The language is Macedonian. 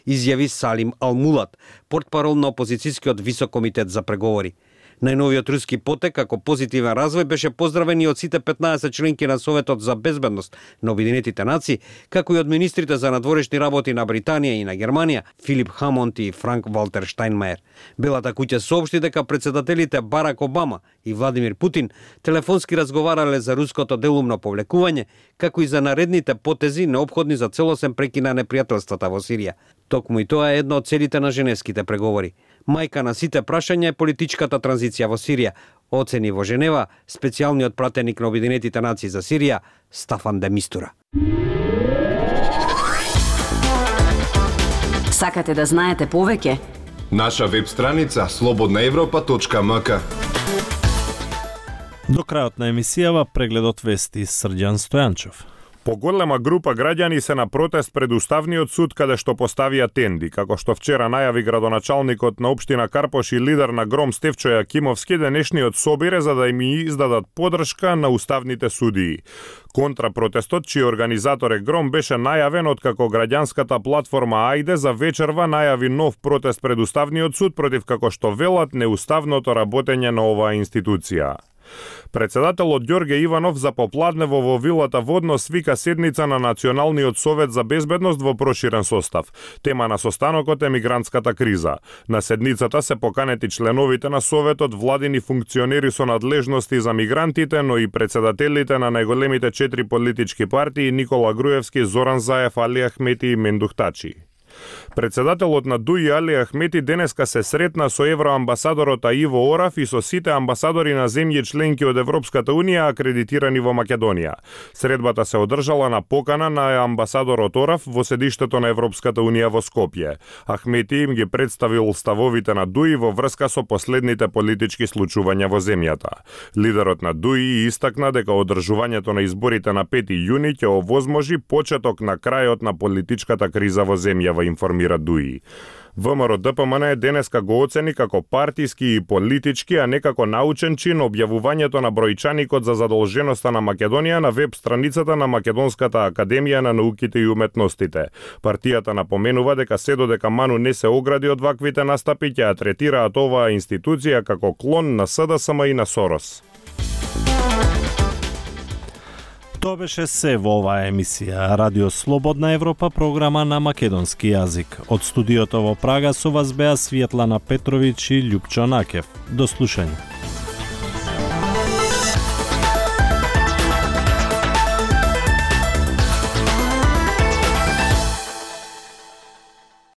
изјави Салим Алмулат, портпарол на опозицијскиот висок комитет за преговори. Најновиот руски потек како позитивен развој беше поздравен и од сите 15 членки на Советот за безбедност на Обединетите нации, како и од министрите за надворешни работи на Британија и на Германија, Филип Хамонд и Франк Валтер Штајнмајер. Белата куќа соопшти дека претседателите Барак Обама и Владимир Путин телефонски разговарале за руското делумно повлекување, како и за наредните потези неопходни за целосен прекин на непријателствата во Сирија. Токму и тоа е една од целите на женевските преговори. Мајка на сите прашања е политичката транзиција во Сирија, оцени во Женева специјалниот пратеник на Обединетите нации за Сирија Стафан де Мистура. Сакате да знаете повеќе? Наша веб страница slobodnaevropa.mk. До крајот на емисијава прегледот вести Срđan Стојанчев. Поголема група граѓани се на протест пред Уставниот суд каде што поставија тенди, како што вчера најави градоначалникот на општина Карпош и лидер на Гром Стефчо Јакимовски. Денешниот собир за да им издадат подршка на уставните судии. Контрапротестот, чиј организатор е Гром, беше најавен откако граѓанската платформа Ајде за вечерва најави нов протест пред Уставниот суд против, како што велат, неуставното работење на оваа институција. Председателот Ѓорге Иванов за попладнево во вилата Водно свика седница на Националниот совет за безбедност во проширен состав. Тема на состанокот е мигрантската криза. На седницата се поканети членовите на советот, владини функционери со надлежности за мигрантите, но и председателите на најголемите 4 политички партии Никола Груевски, Зоран Заев, Али Ахмети и Мендух Тачи. Председателот на ДУИ Али Ахмети денеска се сретна со евроамбасадорот Иво Ораф и со сите амбасадори на земји членки од Европската Унија акредитирани во Македонија. Средбата се одржала на покана на амбасадорот Ораф во седиштето на Европската Унија во Скопје. Ахмети им ги представил ставовите на ДУИ во врска со последните политички случувања во земјата. Лидерот на ДУИ истакна дека одржувањето на изборите на 5 јуни ќе овозможи почеток на крајот на политичката криза во земјава, информира ДУИ. ВМРО ДПМН денеска го оцени како партиски и политички, а не како научен чин објавувањето на бројчаникот за задолженоста на Македонија на веб страницата на Македонската академија на науките и уметностите. Партијата напоменува дека се додека Ману не се огради од ваквите настапи, ќе ја третираат оваа институција како клон на СДСМ и на Сорос. Тоа беше се во оваа емисија. Радио Слободна Европа, програма на македонски јазик. Од студиото во Прага со вас беа Светлана Петровиќ и Љупчо Накев. До слушање.